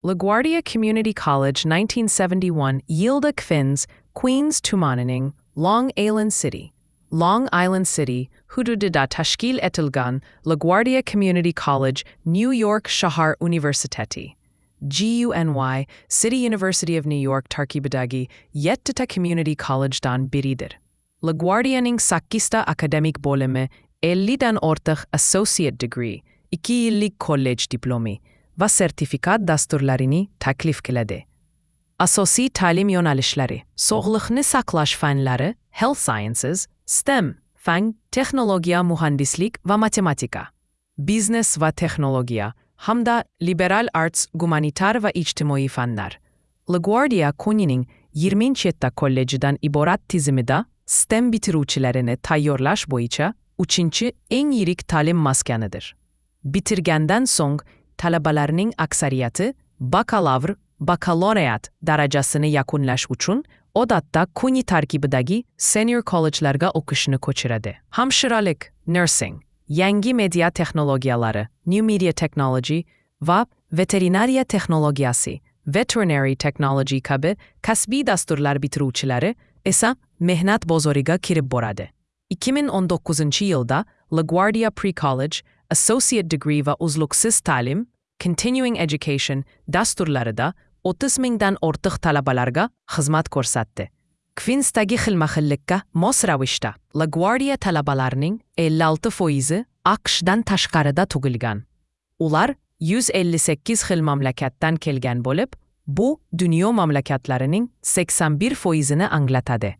LaGuardia Community College 1971 yilda Queens, Queens tumanining Long Island City. Long Island City hududida tashkil etilgan LaGuardia Community College New York Shahar Universiteti GUNY City University of New York tarkibidagi yettita community collegedan biridir. LaGuardianing sakkizta akademik bo'limi 50 dan ortiq associate degree, 2 yillik kollej diplomi va sertifikat dasturlarini taklif qiladi. Asosiy ta'lim yo'nalishlari: sog'liqni saqlash fanlari, health sciences, STEM, fan, texnologiya, muhandislik va matematika, biznes va texnologiya hamda liberal arts, gumanitar va ijtimoiy fanlar. LaGuardia CUNYning 27 kollejidan iborat tizimida STEM bitiruvchilarini tayyorlash bo'yicha uchinchi eng yirik ta'lim maskanidir. Bitirgandan so'ng talabalarning aksariyati bakalavr, bakalavriat darajasini yakunlash uchun odatda CUNY tarkibidagi senior collegelarga o'qishni ko'chiradi. Hamshiralik, nursing, yangi media texnologiyalari, new media technology va veterinariya texnologiyasi, veterinary technology kabi kasbiy dasturlar bitiruvchilari esa mehnat bozoriga kirib boradi. 2019-yilda LaGuardia Pre-College, Associate Degree va uzluksiz ta'lim, Continuing Education dasturlarida 30 mingdan ortiq talabalarga xizmat ko'rsatdi. Queensdagi xilma-xillikka mos ravishda LaGuardia talabalarining 56 foizi AQShdan tashqarida tug'ilgan. Ular 158 xil mamlakatdan kelgan bo'lib, bu dunyo mamlakatlarining 81 foizini anglatadi.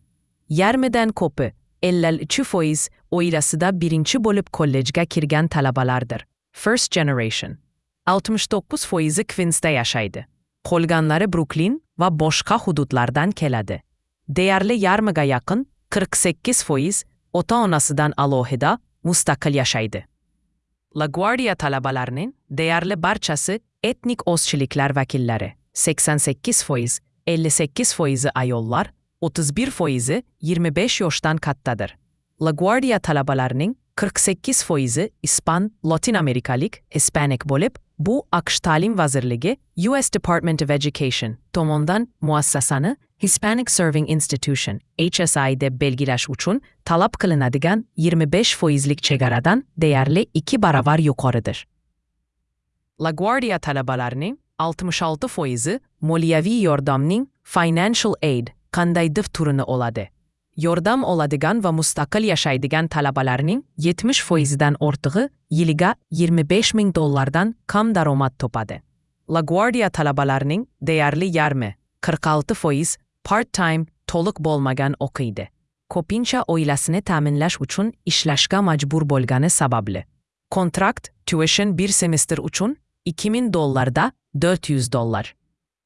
Yarmidan ko'pi, 53%, oilasida birinchi bo'lib kollejga kirgan talabalardir. First generation. 69 foizi Queensda yashaydi. Qolganlari Bruklin va boshqa hududlardan keladi. Deyarli yarmiga yaqin, 48%, ota-onasidan alohida mustaqil yashaydi. LaGuardia talabalarining deyarli barchasi etnik ozchiliklar vakillari. 88%, 58 foizi ayollar, 31 foizi 25 yoshdan kattadir. LaGuardia talabalarining 48 foizi ispan, Latin amerikalik, Hispanic bo'lib, bu AQSh Ta'lim vazirligi, US Department of Education tomonidan muassasani Hispanic Serving Institution, HSI deb belgilash uchun talab qilinadigan 25 foizlik chegaradan deyarli 2 baravar yuqoridir. LaGuardia talabalarining 66 foizi moliyaviy yordamning, financial aid, qandaydir turini oladi. Yordam oladigan va mustaqil yashaydigan talabalarning 70 foizidan ortig'i yiliga 25 ming dollardan kam daromad topadi. LaGuardia talabalarining deyarli yarmi, 46%, part-time, to'liq bo'lmagan o'qiydi. Ko'pincha oilasini ta'minlash uchun ishlashga majbur bo'lgani sababli. Kontrakt tuition bir semestr uchun 2000 dollarda 400 dollar.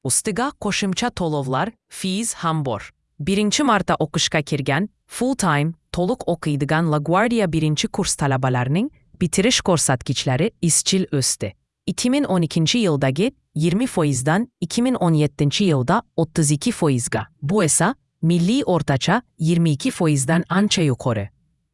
Ustiga qo'shimcha to'lovlar, fees ham bor. Birinchi marta o'qishga kirgan, full time, to'liq o'qiydigan LaGuardia birinchi kurs talabalarining bitirish ko'rsatkichlari izchil o'sdi. 2012 yildagi 20 foizdan 2017 yilda 32 foizga. Bu esa milliy o'rtacha 22 foizdan ancha yuqori.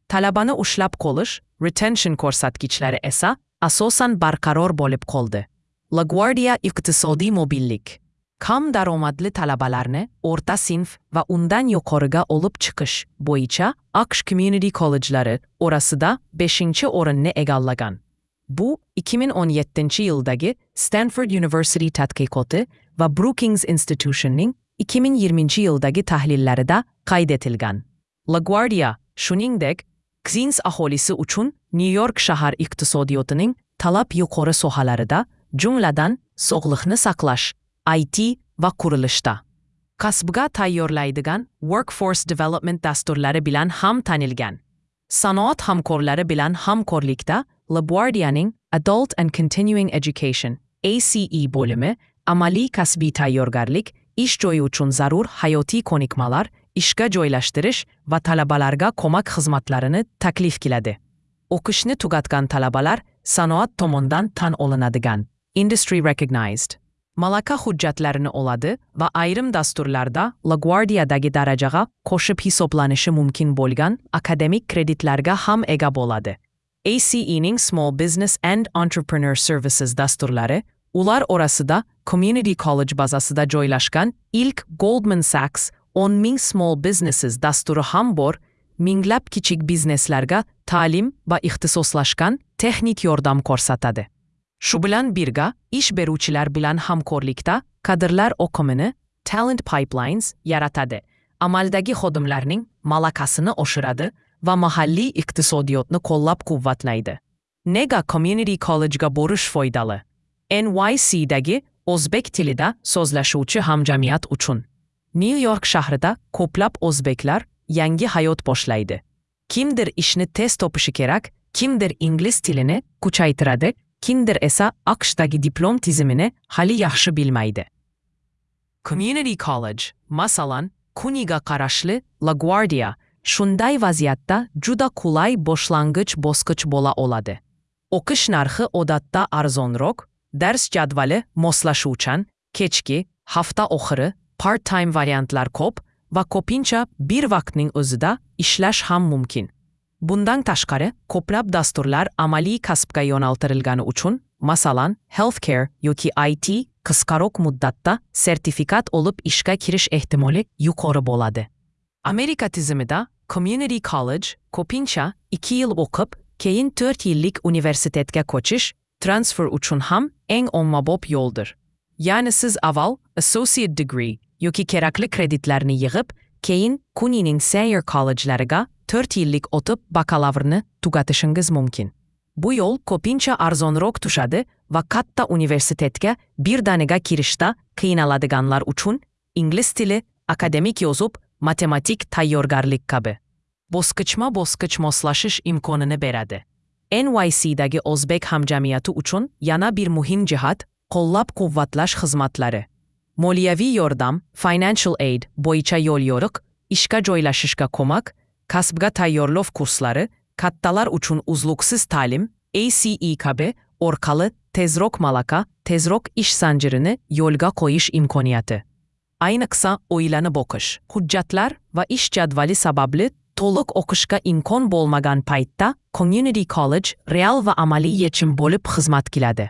Talabani ushlab qolish, retention ko'rsatkichlari esa asosan barqaror bo'lib qoldi. LaGuardia iqtisodiy mobillik, kam daromadli talabalarni o'rta sinf va undan yuqoriga olib chiqish bo'yicha AQSh community collegelari orasida 5 o'rinni egallagan. Bu 2017 yildagi Stanford University tadqiqoti va Brookings Institutionning 2020 yildagi tahlillarida qayd etilgan. LaGuardia, shuningdek, Queens aholisi uchun New York shahar iqtisodiyotining talab yuqori sohalarida, jumladan sog'liqni saqlash, IT va qurilishda kasbga tayyorlaydigan workforce development dasturlari bilan ham tanilgan. Sanoat hamkorlari bilan hamkorlikda LaGuardianing Adult and Continuing Education, ACE bo'limi amaliy kasbiy tayyorgarlik, ish joyi uchun zarur hayotiy ko'nikmalar, ishga joylashtirish va talabalarga ko'mak xizmatlarini taklif qiladi. O'qishni tugatgan talabalar sanoat tomonidan tan olinadigan, industry recognized, malaka hujjatlarini oladi va ayrim dasturlarda LaGuardiadagi darajaga qo'shib hisoblanishi mumkin bo'lgan akademik kreditlarga ham ega bo'ladi. ACEning Small Business and Entrepreneur Services dasturlari ular orasida Community College bazasida joylashgan ilk Goldman Sachs 10 000 Small Businesses dasturi ham bor, minglab kichik bizneslarga ta'lim va ixtisoslashgan texnik yordam ko'rsatadi. Shu bilan birga ish beruvchilar bilan hamkorlikda kadrlar oqimini, talent pipelines yaratadi. Amaldagi xodimlarning malakasini oshiradi va mahalliy iqtisodiyotni qo'llab-quvvatlaydi. Nega Community College'ga borish foydali? NYCdagi o'zbek tilida so'zlashuvchi hamjamiyat uchun. New York shahrida ko'plab o'zbeklar yangi hayot boshlaydi. Kimdir ishni tez topishi kerak, kimdir ingliz tilini kuchaytiradi, kimdir esa AQShdagi diplom tizimini hali yaxshi bilmaydi. Community College, masalan, CUNYga qarashli LaGuardia, shunday vaziyatda juda qulay boshlang'ich bosqich bo'la oladi. O'qish narxi odatda arzonroq, dars jadvali moslashuvchan, kechki, hafta oxiri, part-time variantlar ko'p va ko'pincha bir vaqtning o'zida ishlash ham mumkin. Bundan tashqari, ko'plab dasturlar amaliy kasbga yo'naltirilgani uchun, masalan, healthcare yoki IT, qisqaroq muddatda sertifikat olib ishga kirish ehtimoli yuqori bo'ladi. Amerika tizimida Community College ko'pincha 2 yil o'qib, keyin 4 yillik universitetga ko'chish, transfer uchun ham eng ommabop yo'ldir. Ya'ni siz avval associate degree yoki kerakli kreditlarni yig'ib, keyin CUNYning senior collegelariga 4 yillik o'tib bakalavrni tugatishingiz mumkin. Bu yo'l ko'pincha arzonroq tushadi va katta universitetga birdaniga kirishda qiynaladiganlar uchun ingliz tili, akademik yozuv, matematik tayyorgarlik kabi bosqichma-bosqich moslashish imkonini beradi. NYCdagi o'zbek hamjamiyati uchun yana bir muhim jihat qo'llab-quvvatlash xizmatlari. Moliyaviy yordam, financial aid bo'yicha yo'l-yo'riq, ishga joylashishga ko'mak, kasbga tayyorlov kurslari, kattalar uchun uzluksiz ta'lim, ACE kabi orqali tezroq malaka, tezroq ish zanjirini yo'lga qo'yish imkoniyati. Ayniqsa oilani boqish, hujjatlar va ish jadvali sababli to'liq o'qishga imkon bo'lmagan paytda Community College real va amaliy yechim bo'lib xizmat qiladi.